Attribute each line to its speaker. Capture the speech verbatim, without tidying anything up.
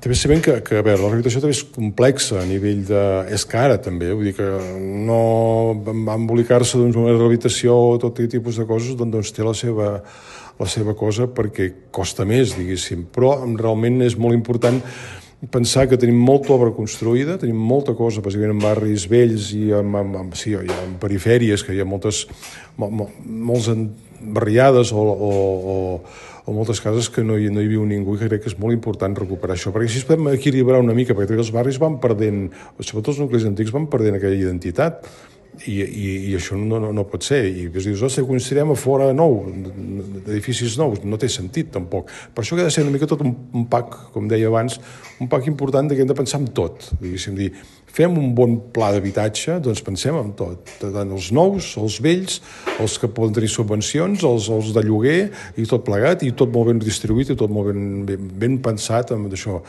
Speaker 1: També sabem que, que a veure, la rehabilitació també és complexa a nivell de... és cara també, vull dir que no va embolicar-se doncs, una rehabilitació o tot tipus de coses doncs té la seva, la seva cosa perquè costa més, diguéssim, però realment és molt important pensar que tenim molta obra construïda, tenim molta cosa, bàsicament en barris vells i en, en, en, sí, en perifèries, que hi ha moltes, mol, mol, molts barriades o, o, o, o moltes cases que no hi, no hi viu ningú, i que crec que és molt important recuperar això, perquè així podem equilibrar una mica, perquè els barris van perdent, sobretot els nuclis antics van perdent aquella identitat, i, i, i això no, no, no pot ser, i dius, ostres, construirem a fora nou, d'edificis nous, no té sentit tampoc. Per això que ha de ser una mica tot un, un pack, com deia abans, un pack important que hem de pensar en tot, diguéssim, dir, fem un bon pla d'habitatge, doncs pensem en tot, tant els nous, els vells, els que poden tenir subvencions, els, els de lloguer, i tot plegat, i tot molt ben distribuït, i tot molt ben, ben, ben pensat amb això.